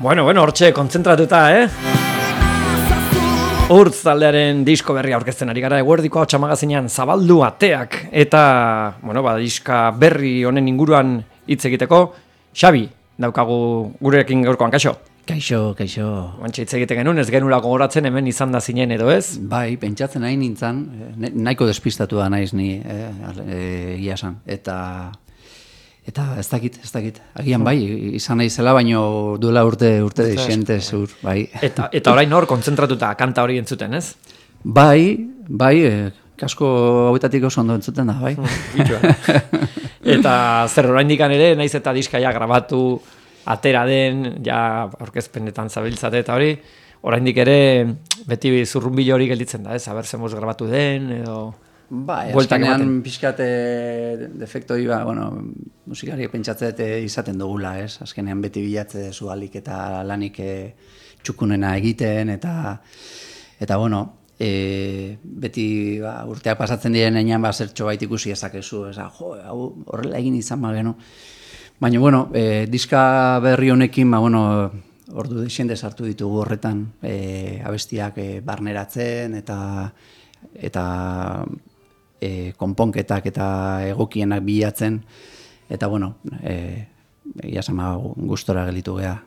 Bueno, hortxe kontzentratuta, Urtz taldearen disko berria aurkezten ari gara eguerdiko Ahotsa magazinean zabaldu ateak eta, diska berri honen inguruan hitz egiteko, Xabi, daukagu gurekin gaurkoan, kaixo? Kaixo. Bantxe hitz egiten genuen, ez genula gogoratzen hemen izan da zinen edo ez? Bai, pentsatzen nahi nintzen, nahiko despistatu da naiz ni, iasan, eta ez dakit, agian bai, izan nahi zela, baino duela urte desente zur, bai. Eta orain hor, kontzentratuta kanta hori entzuten, ez? Bai, kasko hauetatik oso ondo entzuten da, bai. Eta zer oraindikan ere, naiz eta diskaia grabatu, atera den, ja aurkezpenetan zabiltzate eta hori, oraindik ere beti zurrunbilo hori gelditzen da, ez? Aber zemuz grabatu den, edo... Bai, azkenean pixkate defektoi, musikari pentsatzet izaten dugula, ez? Azkenean beti bilatze zu alik eta lanik txukunena egiten, eta beti urteak pasatzen diren enean zertxo bait ikusi ezakezu, hau horrela egin izan magenu. Baina, diska berri honekin, ordu desende sartu ditugu horretan, abestiak barneratzen eta konponketak eta egokienak bilatzen, eta egia sama gustora gelitu geha.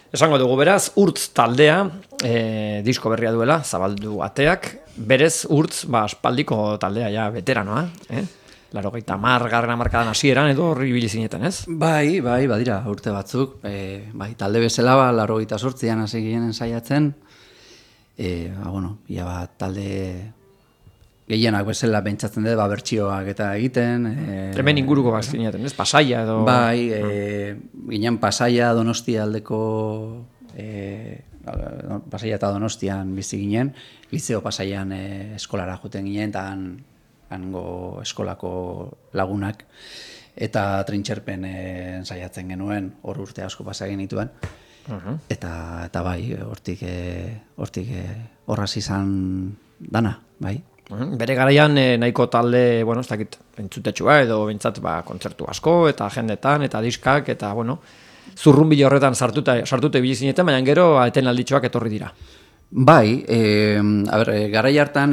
Esango dugu beraz, Urtz taldea, disko berria duela, zabaldu ateak, berez Urtz, aspaldiko taldea, ja, veteranoa, 80. Hamarkadan hasieran edo horri bilizinetan, ez? Bai, badira, urte batzuk, talde bezala, 88an hasi ginen ensaiatzen, talde gehienak bezala pentsatzen dut, bertsioak eta egiten. Hemen inguruko bazkinetan, ez? Pasaia edo... Bai, ginen Pasaia Donostia aldeko... Pasaia eta Donostian bizi ginen, Liceo Pasaian eskolara joten ginen, eta hango eskolako lagunak, eta trintxerpen ensaiatzen genuen, hor urte asko pasa genituen, eta bai, hortik horraz izan dana, bai. Bere garaian nahiko talde, ez dakit, entzutetxua edo bintzat kontzertu asko, eta agendetan, eta diskak, eta zurrunbilo horretan sartute bilizinetan, baina gero eten alditxoak etorri dira. Bai, garai hartan,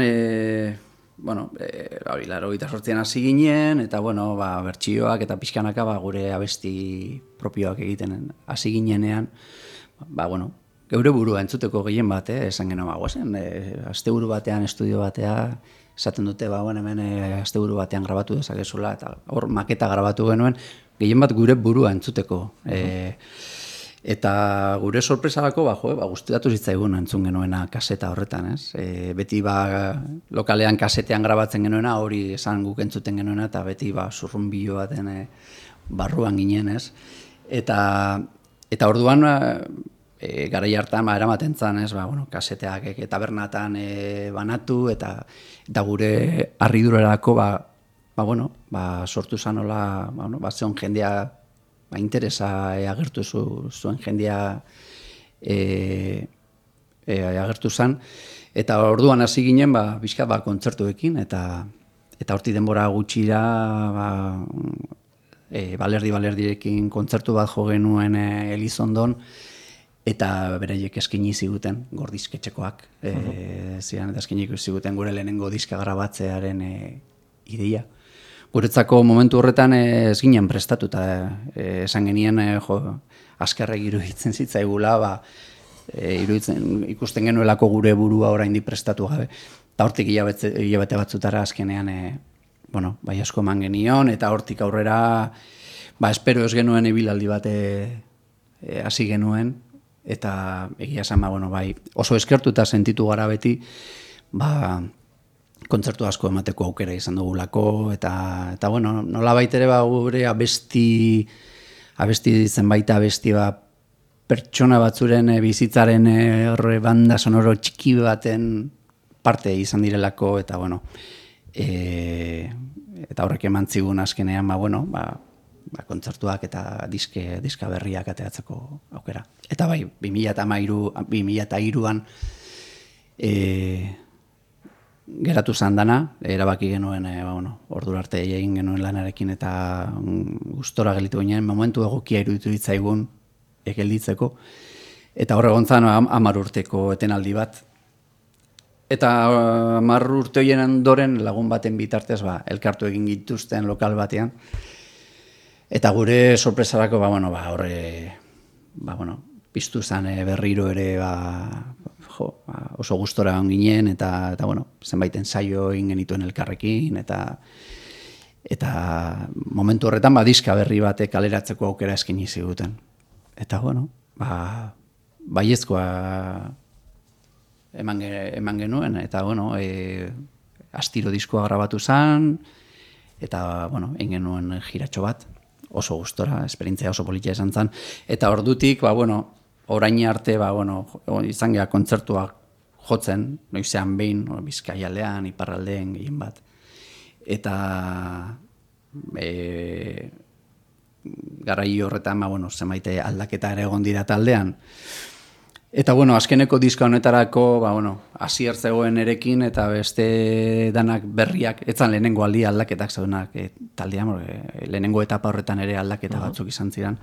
88an hasi ginen, eta bertsioak eta pixkanaka gure abesti propioak egiten hasi ginenean, geure burua entzuteko gehien bat, esan genuen guazen, asteburu batean, estudio batea, esaten dute, hemen asteburu batean grabatu dezakezula, eta hor maketa grabatu genuen, gehien bat gure burua entzuteko. Eta gure sorpresarako, gustatu zitzaigun entzun genuena kaseta horretan, ez? Beti lokalean kasetean grabatzen genuena, hori esan guk entzuten genuena, eta beti zurrunbilo baten barruan ginen, ez? Eta orduan, garai hartan eramaten zan, ez? Kaseteak tabernatan banatu, eta gure harridurerako, sortu zan hola, zeon jendea, interesa agertu zuen jendea agertu zen, eta orduan hasi ginen bizkat kontzertuekin, eta horti denbora gutxira balerdirekin kontzertu bat jo genuen Elizondon, eta beraiek eskaini ziguten gordizketxekoak, ziren eta eskaini ziguten gure lehenengo diska grabatzearen ideia. Guretzako momentu horretan ez ginen prestatuta, esan genien askarrek iruditzen zitzaigula, ikusten genuelako gure burua oraindik prestatu gabe. Eta hortik hilabete batzutara azkenean asko eman genion, eta hortik aurrera espero ez genuen ibilaldi bate hasi genuen, eta egia esan oso eskertuta sentitu gara beti, kontzertu asko emateko aukera izan dugulako, eta nolabait ere gure abesti zenbait abesti pertsona batzuren bizitzaren banda sonoro txiki baten parte izan direlako, eta eta horrek eman zigun azkenean kontzertuak eta diska berriak ateratzeko aukera. Eta 2003an geratu zan dana, erabaki genuen, ordura arte egin genuen lanarekin eta gustora gelitu ginen, momentu egokia iruditu ditzaigun gelditzeko. Eta hor egon zan 10 urteko etenaldi bat. Eta 10 urte horien ondoren lagun baten bitartez elkartu egin gituzten lokal batean. Eta gure sorpresarako piztu zen berriro ere oso gustora on ginen eta zenbait ensaio egin genituen elkarrekin eta momentu horretan diska berri batek kaleratzeko aukera eskaini ziguten. Eta baiezkoa eman genuen eta astiro diskoa grabatu zen eta egin genuen jiratxo bat oso gustora, esperientzia oso politia izan zen eta ordutik orain arte izan geha kontzertuak jotzen, noizean behin Bizkaialdean, iparraldeen gehien bat eta garai horretan zenbait aldaketa ere egon dira taldean. Eta azkeneko diska honetarako hasier zegoen erekin eta beste danak berriak, etzan lehenengo aldi aldaketak zeudenak taldean, lehenengo etapa horretan ere aldaketa batzuk izan ziren.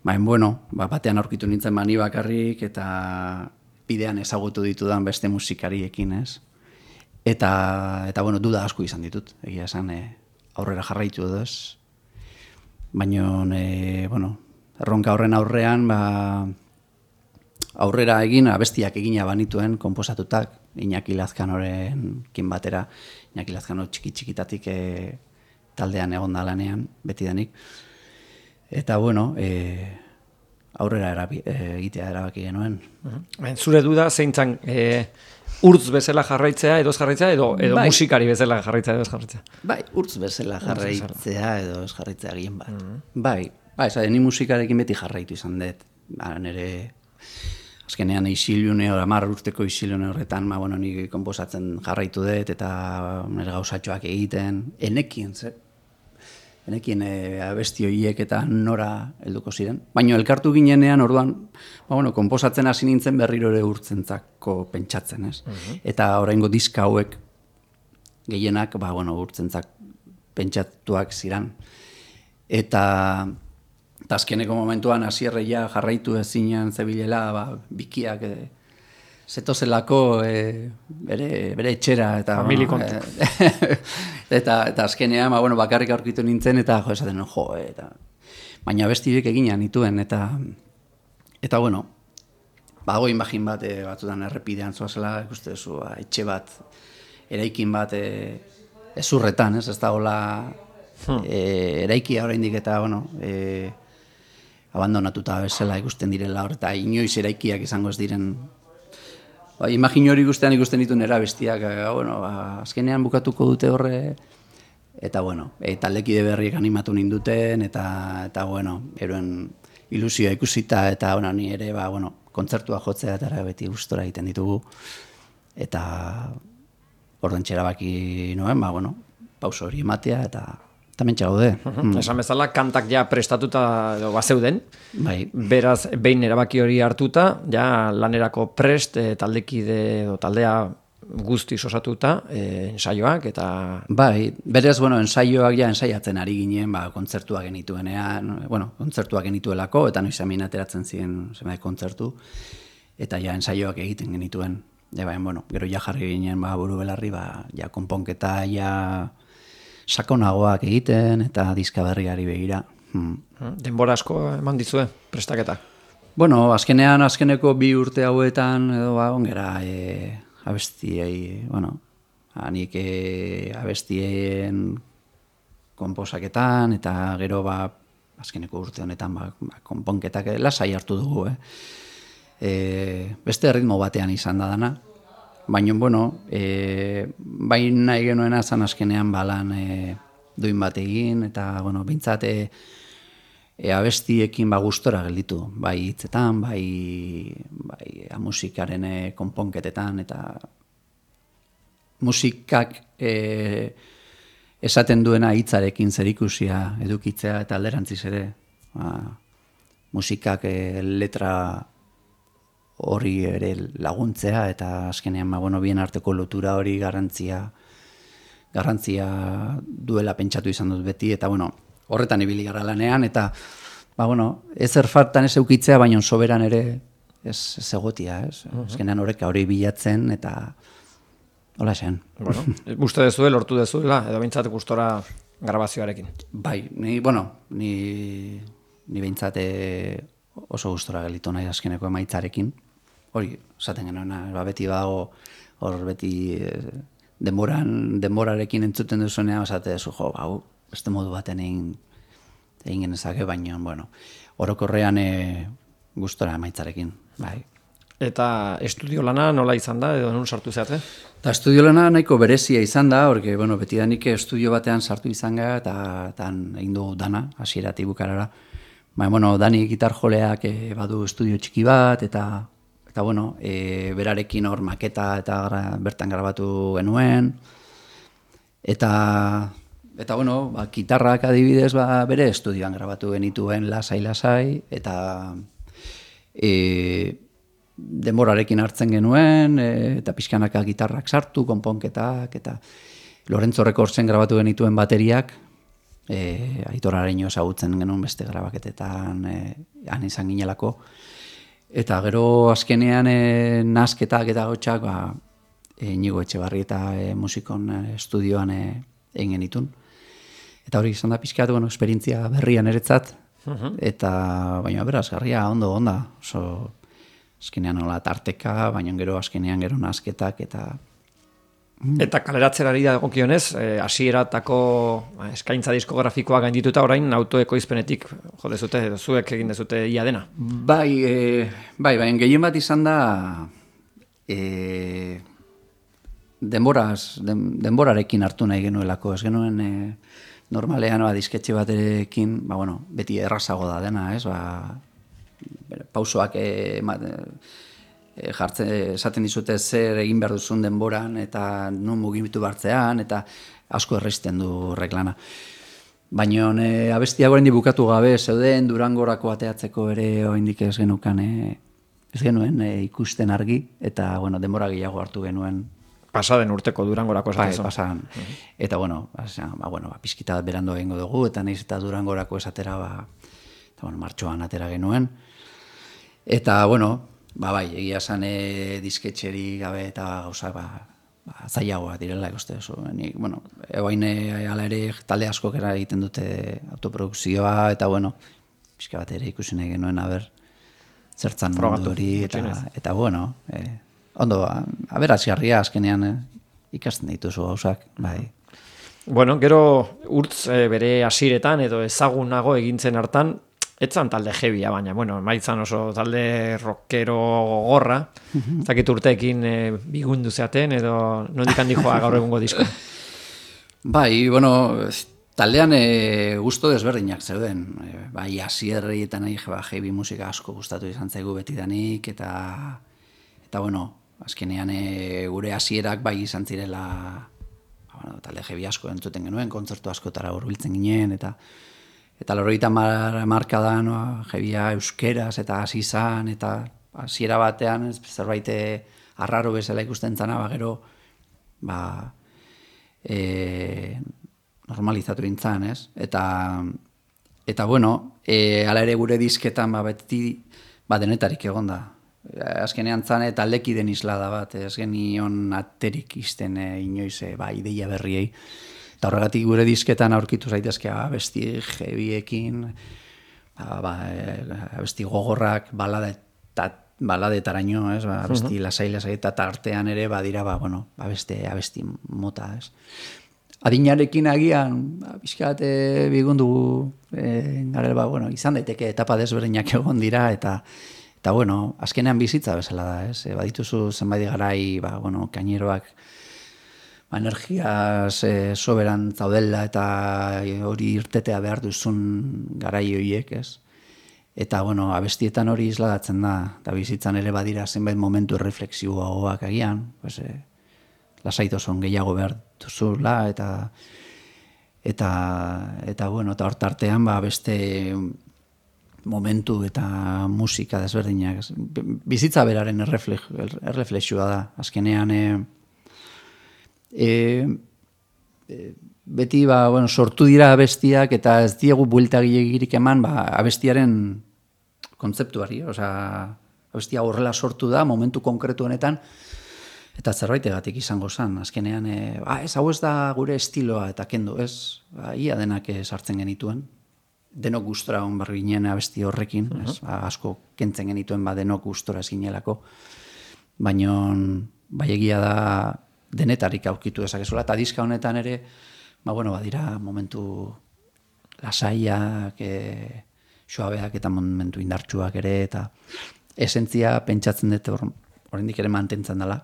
Batean aurkitu nintzen ni bakarrik eta bidean ezagutu ditudan beste musikariekin, ez? Eta duda asko izan ditut, egia esan aurrera jarraitu edo ez. Baina, erronka horren aurrean, aurrera egin, abestiak egina banituen, konposatutak, Iñaki Lazkanoren kin batera, Iñaki Lazkano txiki-txikitatik taldean egon da lanean, beti denik. Eta, aurrera egitea erabaki genuen. Zure duda, zeintzan urtz bezala jarraitzea, edo ez jarraitzea, edo musikari bezala jarraitzea, edo ez jarraitzea? Bai, urtz bezala jarraitzea, edo ez jarraitzea gien bat. Bai, ni musikarekin beti jarraitu izan dut. Nire azkenean isilune, 10 urteko isilune horretan, ni konposatzen jarraitu dut, eta nire gauzatxoak egiten, enekien abesti horiek eta nora helduko ziren. Baina elkartu ginenean, orduan, konposatzen hasi nintzen berriro ere urtzentzako pentsatzen, ez? Eta oraingo diska hauek gehienak, urtzentzak pentsatuak ziren. Eta azkeneko momentuan hasierreia jarraitu ezinean zebilela, bikiak zetozelako bere etxera eta eta azkenean bakarrik aurkitu nintzen eta esaten baina bestiek egina nituen eta bago imagin bat batzutan errepidean zoazela ikuste duzu etxe bat eraikin bat ezurretan, ez da hola eraikia oraindik eta abandonatuta bezala ikusten direla hor eta inoiz eraikiak izango ez diren. Imagin hori ikusten dituen erabestiak, azkenean bukatuko dute horre, eta taldekide berriek animatu ninduten, eta eroen ilusioa ikusita, eta ni ere, kontzertua jotzea eta beti gustora egiten ditugu, eta orden txerabaki noen, pauso hori ematea, eta mentxe gaude. Esan bezala, kantak ja prestatuta bazeuden. Bai. Beraz, behin erabaki hori hartuta, ja lanerako prest taldekide edo taldea guztiz osatuta, ensaioak eta... Bai, berez, ensaioak ja ensaiatzen ari ginen, kontzertuak genituenean, kontzertuak genituelako, eta noiz amin ateratzen ziren zenbait kontzertu, eta ja ensaioak egiten genituen. Gero ja jarri ginen buru belarri, ja konponketa, ja... sakonagoak egiten eta diska berriari begira. Denbora asko eman dizue, prestaketa? Azkeneko 2 urte hauetan, edo ongera abestiei, nik abestien konposaketan, eta gero azkeneko urte honetan konponketak lasai hartu dugu. Beste ritmo batean izan da dana. Baina, bai nahi genuena zan azkenean balan duin bat egin, eta, bintzat abestiekin gustora gelditu, bai hitzetan, bai musikaren konponketetan, eta musikak esaten duena hitzarekin zerikusia edukitzea, eta alderantziz ere, musikak letra hori ere laguntzea eta azkenean bien arteko lotura hori garrantzia duela pentsatu izan dut beti eta horretan ibili gara lanean eta ez erfartan ez eukitzea, baina soberan ere ez egotia, ez? Azkenean horreka hori bilatzen, eta hola zen. Bueno, uste dezuel, lortu dezuela, edo bintzat gustora grabazioarekin. Bai, ni behintzat oso gustora gelitu nahi azkeneko emaitzarekin. Hori, esaten genuena, beti dago, hor beti denborarekin entzuten duzunean, esate duzu, beste modu baten egin genezake, baina, orokorrean gustora emaitzarekin, bai. Eta estudio lana nola izan da, edo nun sartu zeate? Eta estudio lana nahiko berezia izan da, porque, beti da nik estudio batean sartu izan gara, eta egin du dana, hasieratik bukarara. Dani gitar joleak badu estudio txiki bat, eta berarekin hor maketa eta bertan grabatu genuen. Eta gitarrak adibidez bere estudioan grabatu genituen lasai, eta denborarekin hartzen genuen, eta pixkanaka gitarrak sartu, konponketak, eta Lorenzo Recordsen grabatu genituen bateriak, Aitor Areño ezagutzen genuen beste grabaketetan han izan ginelako. Eta gero azkenean nazketak eta gotxak Inigo Etxebarrieta musikon estudioan egin genitun. Eta hori izan da pixkat, esperientzia berrian eretzat, eta baina berazgarria, ondo, oso azkenean nola tarteka, baina gero azkenean gero nazketak, Eta kaleratzerari dagokionez, hasieratako eskaintza diskografikoa gaindituta orain autoekoizpenetik jo dezute, zuek egin dezute ia dena. Bai, gehien bat izan da denborarekin hartu nahi genuelako, ez genuen normalean disketxe baterekin, beti errazago da dena, ez, pausoak esaten dizute zer egin behar duzun denboran, eta nun mugitu bartzean, eta asko erresten du reklana. Baina abestia oraindik bukatu gabe zeuden Durangorako ateatzeko ere oraindik ez genuen ikusten argi, eta denbora gehiago hartu genuen. Pasaden urteko Durangorako esatezu. Bai, pasaden. Eta pizkita berandu egingo dugu, eta nahiz eta Durangorako esatera, martxoan atera genuen. Eta, bai, egia esan disketxeri gabe eta gauza, zailagoa direla ikuste oso. Egoain ala ere talde askok egiten dute autoprodukzioa, eta pixka bat ere ikusi nahi genuen zertzan mundu hori, eta ondo, aberazgarria azkenean ikasten dituzu gauzak, bai. Gero urtz bere hasiretan edo ezagunago egintzen hartan, etzan talde jebia, baina, maitzan oso talde rockero gogorra, zakit urteekin bigundu zeaten, edo nondik handi joa gaur egungo disko. Bai, taldean gusto desberdinak zeuden. Bai, hasierrietan jebi musika asko gustatu izan zaigu betidanik, eta azkenean gure hasierak bai izan zirela, talde jebi asko entzuten genuen, kontzertu askotara hurbiltzen ginen, eta 90 hamarkadan jebia euskeraz eta hasi izan, eta hasiera batean zerbait arraro bezala ikusten zana, gero normalizatu dintzan, ez? Eta hala ere gure disketan beti denetarik egon da. Azkenean zan taldeki den islada bat, ez genion aterik izten inoiz ideia berriei. Eta horregatik gure disketan aurkitu zaitezke abesti jebiekin, abesti gogorrak, baladetaraino, abesti lasai eta tartean ere badira abesti mota, ez. Adinarekin agian, pixkat bigundu garela, izan daiteke etapa desberdinak egon dira, eta azkenean bizitza bezala da, ez. Badituzu zenbait garai, kaineroak, energiaz soberan zaudela eta hori irtetea behar duzun garai horiek, ez? Eta, abestietan hori isladatzen da, eta bizitzan ere badira zenbait momentu reflexioagoak agian, lasaitosun gehiago behar duzula, eta hor tartean beste momentu eta musika desberdinak. Bizitza beraren erreflexioa da, azkenean beti sortu dira abestiak eta ez diegu buelta gilegirik eman abestiaren kontzeptuari, abestia horrela sortu da momentu konkretu honetan eta zerbaitegatik izango zen, azkenean hau ez da gure estiloa eta kendu, ez, ia denak sartzen genituen, denok gustora hon barri ginen abesti horrekin, asko kentzen genituen denok gustora ez ginelako, baina egia da denetarik aurkitu dezakezuela, eta diska honetan ere, badira momentu lasaiak, suabeak eta momentu indartsuak ere, eta esentzia pentsatzen dut oraindik ere mantentzen dela,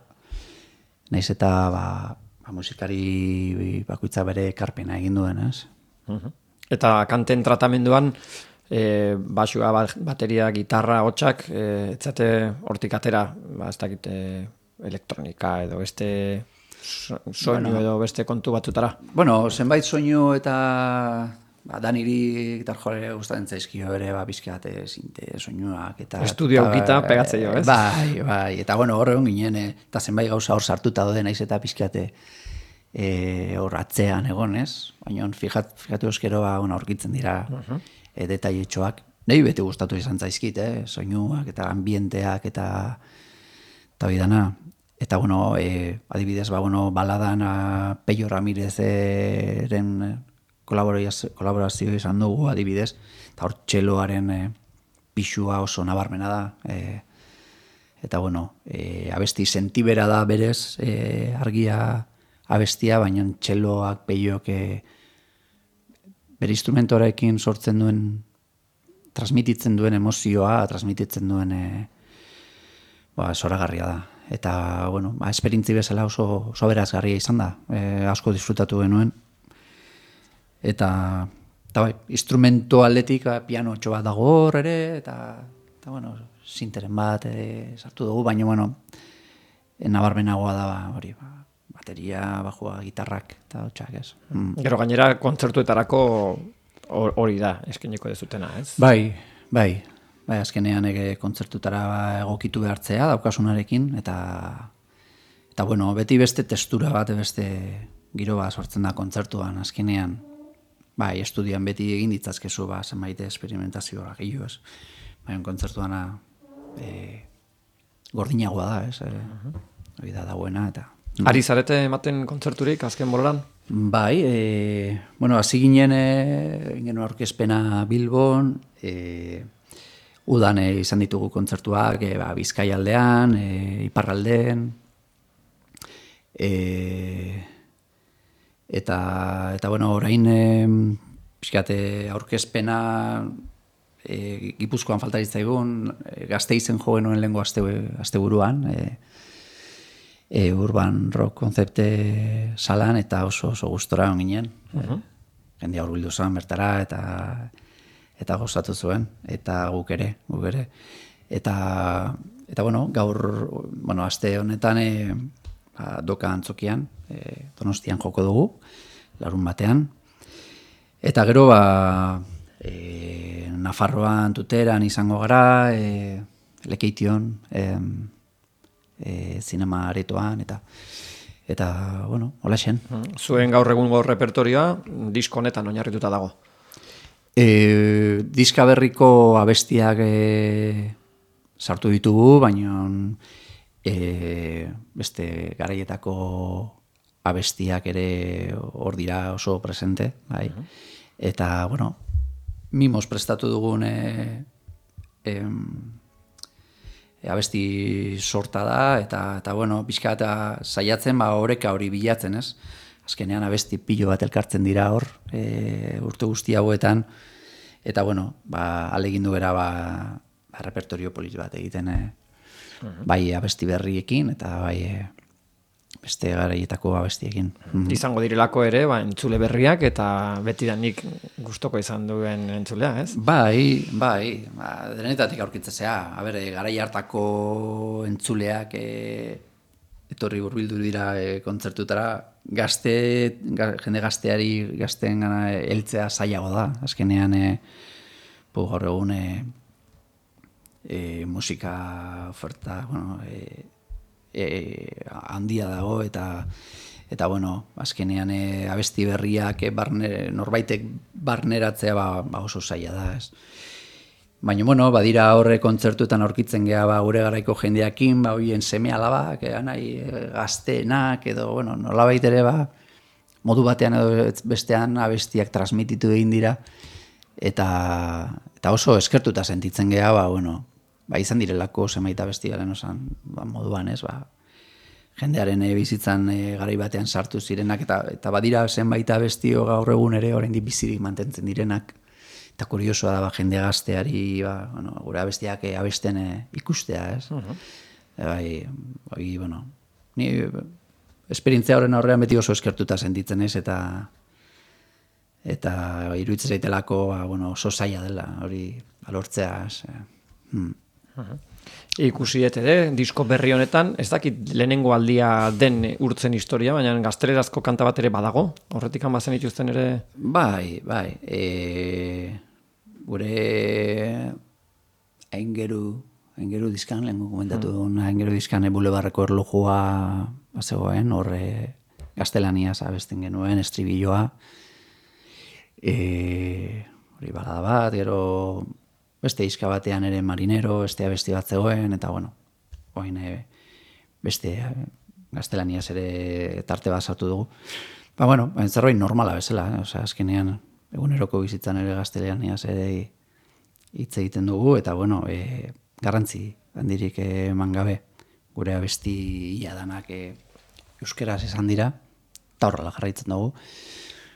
naiz eta musikari bakoitza bere ekarpena egin duen, ez? Eta kanten tratamenduan, basua, bateria, gitarra, hotxak, etzate hortik atera, ez dakit elektronika edo beste soinu edo beste kontu batutara. Zenbait soinu eta Daniri gitar jole gustatzen zaizkio ere bizkat sinte soinuak eta estudio gita pegatzeo, ez? Bai, eta hor egon ginen eta zenbait gauza hor sartuta daude naiz eta bizkate hor atzean egon, ez? Baina fijatu eskero aurkitzen dira detailetxoak. Nei beti gustatu izan zaizkit, soinuak eta ambienteak eta hori dana. Eta, adibidez, baladan Peio Ramirezeren kolaborazio izan dugu, adibidez, eta hor txeloaren pixua oso nabarmena da. Eta, abesti sentibera da berez, argia abestia, baina txeloak, Peioak bere instrumentorekin sortzen duen, transmititzen duen emozioa, transmititzen duen zoragarria da. Eta, esperintzi bezala oso berazgarria izan da, asko disfrutatu genuen. Eta instrumento aldetik piano txo bat dago hor ere, eta sinteren bat sartu dugu, baina, nabarmenagoa da, bateria, bajua, gitarrak, eta hotxak, ez. Gero gainera, kontzertuetarako hori da, eskeneko dezutena, ez? Bai, azkenean kontzertutara egokitu behartzea daukasunarekin, eta beti beste testura bat, beste giro bat sortzen da kontzertuan, azkenean, estudian beti egin ditzazkezu, zenbait esperimentazioa gehiago, ez. Baina kontzertuana gordinagoa da, ez, hori da dagoena, eta... Ari zarete ematen kontzerturik, azken boloran? Bai, hasi ginen aurkezpena Bilbon, udan izan ditugu kontzertuak, Bizkaialdean, Iparraldean, eta orain pixkate aurkezpena Gipuzkoan falta ditzaigun, Gasteizen jo genuen lehengo asteburuan, urban rock konzepte salan, eta oso gustora on ginen. Jendea hurbildu zen bertara, eta gozatu zuen, eta guk ere. Eta gaur, aste honetan doka antzokian, Donostian joko dugu, larun batean. Eta gero, Nafarroan, Tuteran izango gara, Lekeition, zinema aretoan, eta hola xen. Zuen gaur egungo repertorioa, disko honetan oinarrituta dago. Diska berriko abestiak sartu ditugu, baina beste garaietako abestiak ere hor dira oso presente, bai. Eta, mimos prestatu dugun abesti sorta da, eta pixka eta saiatzen, oreka hori bilatzen, ez? Azkenean abesti pilo bat elkartzen dira hor, urte guzti hauetan, eta alegindu gara repertorio polit bat egiten, bai abesti berriekin, eta bai beste garaietako abestiekin. Izango direlako ere, entzule berriak, eta betidanik gustoko izan duen entzulea, ez? Bai, denetatik aurkitzea, garai hartako entzuleak etorri hurbildu dira kontzertutara, jende gazteen gana heltzea zailago da. Azkenean, gaur egun musika oferta handia dago, eta eta bueno, azkenean abesti berriak norbaitek barneratzea oso zaila da, ez. Baina, bueno, badira horre kontzertuetan aurkitzen geha gure garaiko jendeakin, hoien seme alabak, nahi gazteenak, edo, bueno, nolabait ere, modu batean edo bestean abestiak transmititu egin dira, eta oso eskertuta sentitzen geha, bueno, izan direlako zenbait abesti garen osan, moduan, ez, jendearen bizitzan garai batean sartu zirenak, eta badira zenbait abestio gaur egun ere oraindik bizirik mantentzen direnak, eta kuriosoa da jende gazteari gure abestiak abesten ikustea, ez? Bueno, ni esperientzia horren aurrean beti oso eskertuta sentitzen ez, eta iruditzen zaitelako oso zaila dela, hori alortzea, ez? Ikusi ere, disko berri honetan, ez dakit lehenengo aldia den urtzen historia, baina gaztelerazko kanta bat ere badago, horretik bazen ituzten ere? Bai, gure aingeru dizkan, lehenko komentatu duen, aingeru dizkan bulebarreko erlojua bazegoen, horre gaztelaniaz abesten genuen, estribilloa, hori balada bat, gero beste izka batean ere marinero, beste abesti bat zegoen, eta bueno, oin beste gaztelaniaz ere tarte bat sartu dugu. Bueno, zerbait normala bezala, azkenean eguneroko bizitzan ere gaztelaniaz ere hitz egiten dugu, eta bueno, garrantzi handirik eman gabe gure abesti iadanak euskeraz esan dira, eta horrela jarraitzen dugu.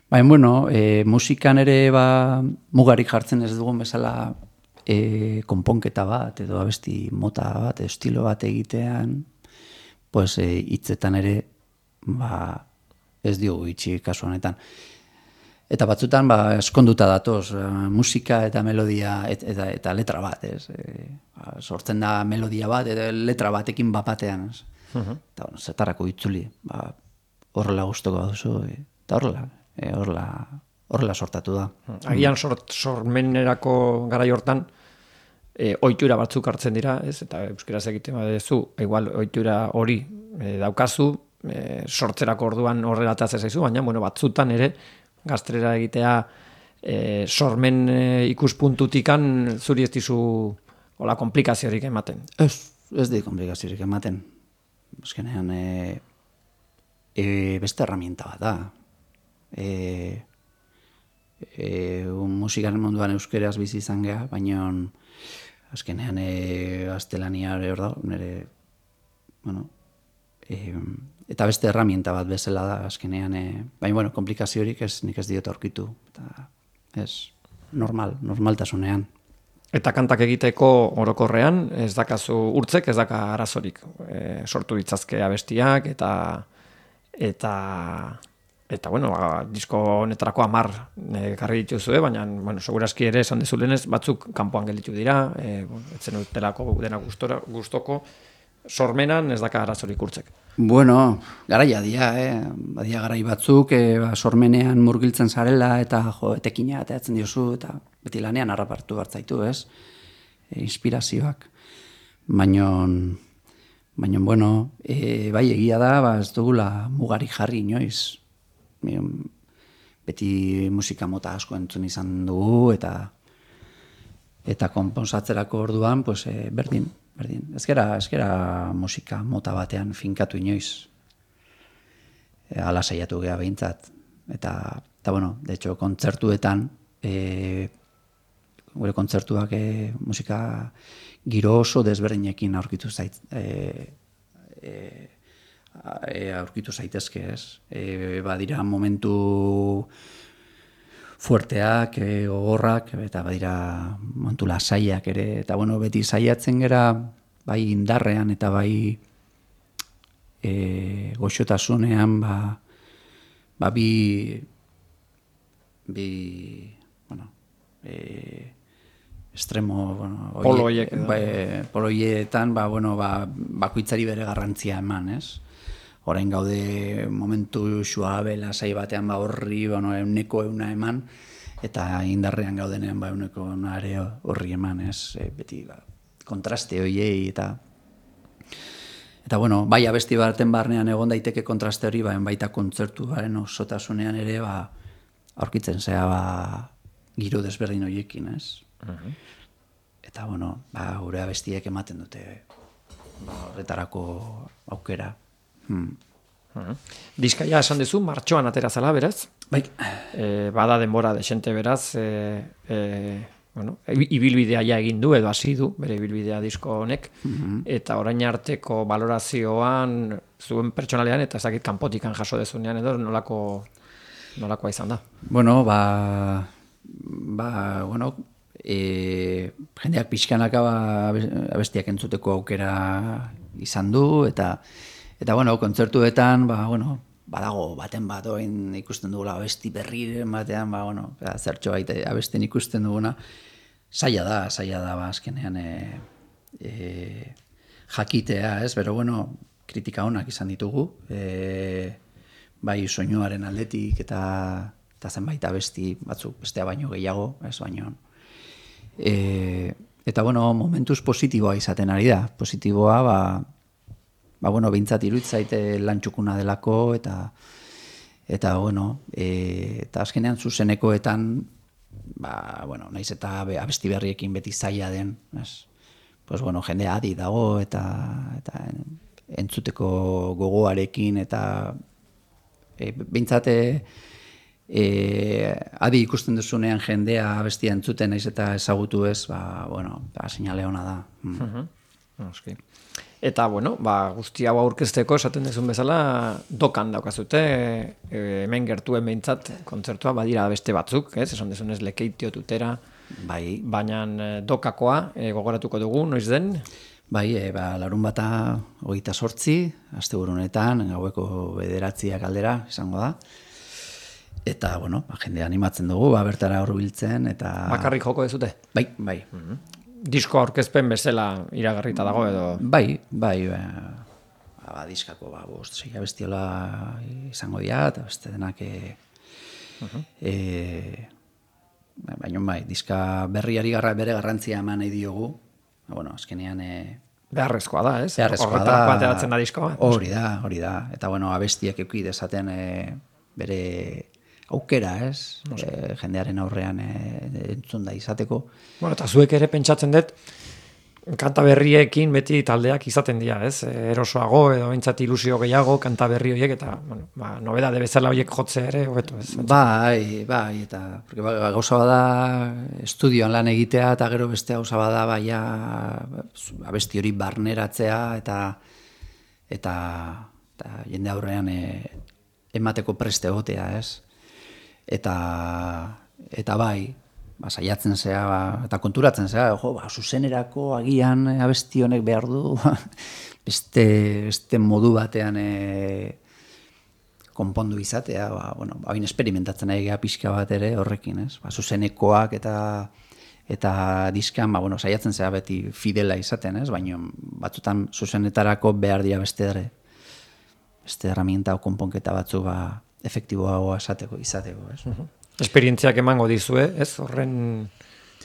Baina, bueno, musikan ere mugarik jartzen ez dugun bezala konponketa bat, edo abesti mota bat, estilo bat egitean, pues hitzetan ere ez diogu itxi kasu honetan. Eta batzutan eskonduta datoz, musika eta melodia eta letra bat, ez? Sortzen da melodia bat, eta letra batekin bapatean, ez? Eta zertarako itzuli, horrela guztoko duzu, eta horrela sortatu da. Agian sormenerako garai hortan, ohitura batzuk hartzen dira, ez? Eta euskeraz egiten badezu, igual ohitura hori daukazu, sortzerako orduan horrela atatzen zaizu, baina batzutan ere gaztelera egitea sormen ikuspuntutikan zuri ez dizu hola komplikaziorik ematen. Ez di komplikaziorik ematen. Azkenean beste herramienta bat da. Musikaren munduan euskeraz bizi izan geha, baina azkenean gaztelania hor da, eta beste herramienta bat bezala da azkenean, baina komplikaziorik nik ez diot aurkitu, eta ez normaltasunean. Eta kantak egiteko orokorrean, ez dakazu urtzek, ez daka arazorik, sortu ditzazke abestiak, eta bueno, disko honetarako 10 karri dituzue, baina, segurazki ere esan dezulenez, batzuk kanpoan gelditu dira, etzen utelako dena gustoko, sormenan ez daka arazorik urtzek. Bueno, garaia badia garai batzuk, sormenean murgiltzen zarela, eta etekina atatzen diozu, eta beti lanean harrapartu hartzaitu, ez? Inspirazioak. Baina, bueno, bai egia da, ez dugula mugarik jarri inoiz. Beti musika mota asko entzun izan dugu, eta konponsatzerako orduan, berdin. Ez gera musika mota batean finkatu inoiz. Ala saiatu geha behintzat. Eta bueno, de hecho, kontzertuetan, gure kontzertuak musika giro oso desberdinekin aurkitu zaitezke, ez? Badira momentu fuerteak, gogorrak, eta badira momentu lasaiak ere, eta bueno, beti saiatzen gera bai indarrean eta bai goxotasunean estremo poloietan bakoitzari bere garrantzia eman, ez? Orain gaude momentu suabe lasai batean horri euneko euna eman, eta indarrean gaudenean euneko horri eman, ez? Beti kontraste horiei, Eta bueno, bai abesti baten barnean egon daiteke kontraste hori, baita kontzertuaren osotasunean ere, aurkitzen zea, giro desberdin horiekin, ez? Eta bueno, gure abestiek ematen dute, horretarako aukera. Diskaia esan duzu, martxoan atera zala, beraz? Bai. Bada denbora desente, beraz, ibilbidea ja egin du, edo hasi du, bere ibilbidea disko honek, eta orain arteko valorazioan, zuen pertsonalean, eta ezakit kanpotikan jaso dezunean, edo nolakoa izan da? Bueno, jendeak pixkanaka abestiak entzuteko aukera izan du, eta kontzertuetan, badago baten bat oin ikusten dugula abesti berriren batean, zertxo baita abesten ikusten duguna, zaila da, azkenean jakitea, ez? Pero kritika onak izan ditugu, bai soinuaren aldetik eta zenbait abesti batzuk bestea baino gehiago, ez baino. Eta momentuz positiboa izaten ari da. Positiboa, behintzat iruditzait lan txukuna delako, eta azkenean zuzenekoetan, naiz eta abesti berriekin beti zaila den, jendea adi dago, eta entzuteko gogoarekin, eta behintzat adi ikusten duzunean jendea abestia entzuten naiz eta ezagutu ez, seinale ona da. Eta, guzti hau aurkezteko, esaten duzun bezala, dokan daukazute, hemen gertuen behintzat, kontzertua badira beste batzuk, esan duzunez Lekeitio, Tutera, baina dokakoa gogoratuko dugu, noiz den? Bai, Larunbata 28, asteburunetan, gaueko 9 aldera izango da. Eta, jende animatzen dugu, bertara hurbiltzen, eta... Bakarrik joko dezute? Bai. Disko aurkezpen bezala iragarrita dago edo? Bai, diskako, 6 abestiola izango dira, eta beste denak... Baina diska berriari bere garrantzia eman nahi diogu, azkenean... Beharrezkoa da, ez? Horretarako ateratzen da diskoa. Hori da. Eta, abestiak euki dezaten bere aukera, ez? Jendearen aurrean entzun da izateko. Eta zuek ere pentsatzen dut, kanta berriekin beti taldeak izaten dira, ez? Erosoago edo behintzat ilusio gehiago, kanta berri horiek, eta nobedade bezala horiek jotzea ere, hobeto, ez? Bai, eta gauza bada estudioan lan egitea, eta gero beste gauza bada abesti hori barneratzea, eta jende aurrean emateko preste egotea, ez? Eta bai, saiatzen zea, eta konturatzen zea, zuzenerako agian abesti honek behar du, beste modu batean konpondu izatea, hain experimentatzen egea pixka bat ere horrekin, ez? Zuzenekoak eta diskan, saiatzen zea beti fidela izaten, ez? Baina batzutan zuzenetarako behar dira beste herramienta o konponketa batzu efektiboagoa izateko, ez? Esperientziak emango dizue, ez? Horren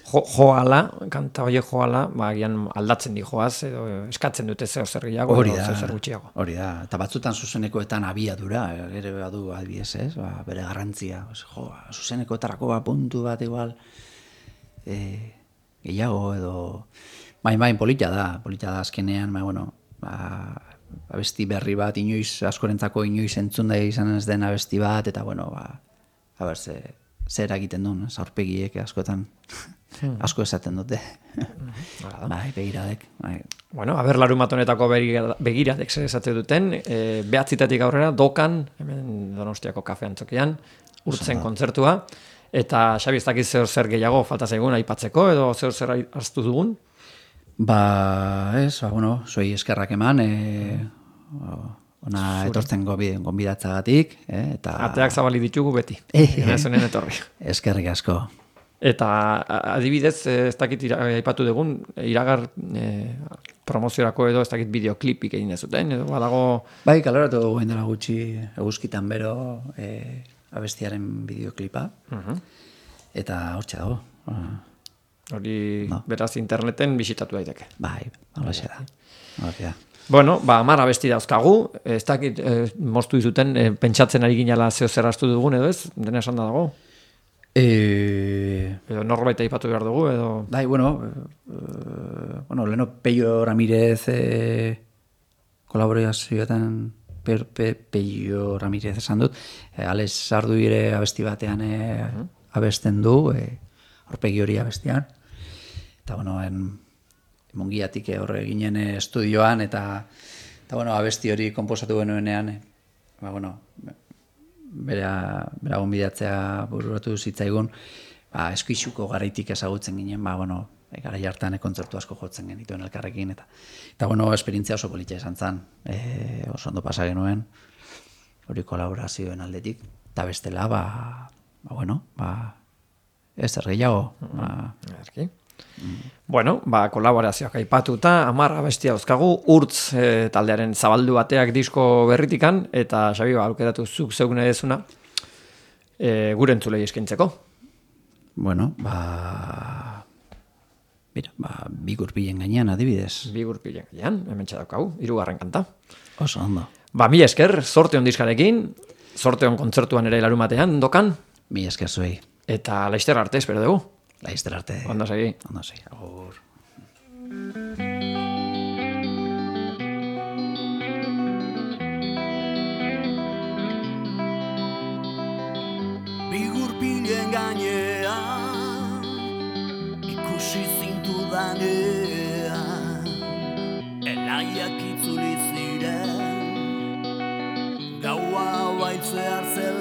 joala, kanta horiek joala, agian aldatzen di joaz, edo eskatzen dute zer gehiago, zer gutxiago. Hori da, eta batzutan zuzenekoetan abiadura, ere badu adibidez, ez? Bere garrantzia, zuzenekoetarako puntu bat igual gehiago, edo bain polita da azkenean, abesti berri bat, askorentzako inoiz entzunda izan ez den abesti bat, eta zer egiten duen, aurpegiek askotan asko esaten dute. Begiradek. Larunbatonetako begiradek zer esaten duten, 9 aurrera, dokan, hemen Donostiako kafe antzokian, urtzen kontzertua, eta Xabi ez dakiz zer gehiago falta zaigun aipatzeko, edo zer hartu dugun? Zuei eskerrak eman, ona etortzen gonbidatzagatik. Ateak zabali ditugu beti, enazunen etorri. Eskerrik asko. Eta adibidez, ez dakit aipatu dugun, iragar promoziorako edo ez dakit bideoklipik egin dezuten, edo badago... Bai, kaleratu dugu dela gutxi eguzkitan bero abestiaren bideoklipa, eta hortxe dago. Hori beraz interneten bisitatu daiteke. Bai, halaxe da. Bueno, 10 abesti dauzkagu, ez dakit moztu dizuten, pentsatzen ari ginala zeo zer astu dugun edo ez, dena esan da dago. Edo norbait aipatu behar dugu, edo... Bai, bueno, leheno Peio Ramirez kolaborazioetan Peio Ramirez esan dut, Alex Arduire abesti batean abesten du, aurpegi hori abestian, eta bueno, Mungiatik horre ginen estudioan, eta abesti hori konposatu genuenean, bera gonbidatzea bururatu zitzaigun, eskuixuko garaitik ezagutzen ginen, garai hartan kontzertu asko jotzen genituen elkarrekin, eta esperientzia oso politxa izan zen, oso ondo pasa genuen, hori kolaborazioen aldetik, eta bestela, ez zer gehiago. Bueno, kolaborazioak aipatuta, 10 abestia dauzkagu, Urtz taldearen zabaldu bateak disko berritikan, eta Xabi, aukeratu zuk zeuk nahi dezuna, gure entzulei eskaintzeko. Bueno, Bigurpilen gainean adibidez. Bigurpilen gainean, hemen txadaukagu, 3. kanta. Oso ondo. Mila esker, sorte on diskarekin, sorte on kontzertuan ere larumatean, dokan. Mila esker zuei. Eta laizter arte, espero dugu. Laizter arte. Ondo segi. Agur. Bigurpilen gainean ikusi zintudanean elaiak itzuli ziren gaua baitzear zer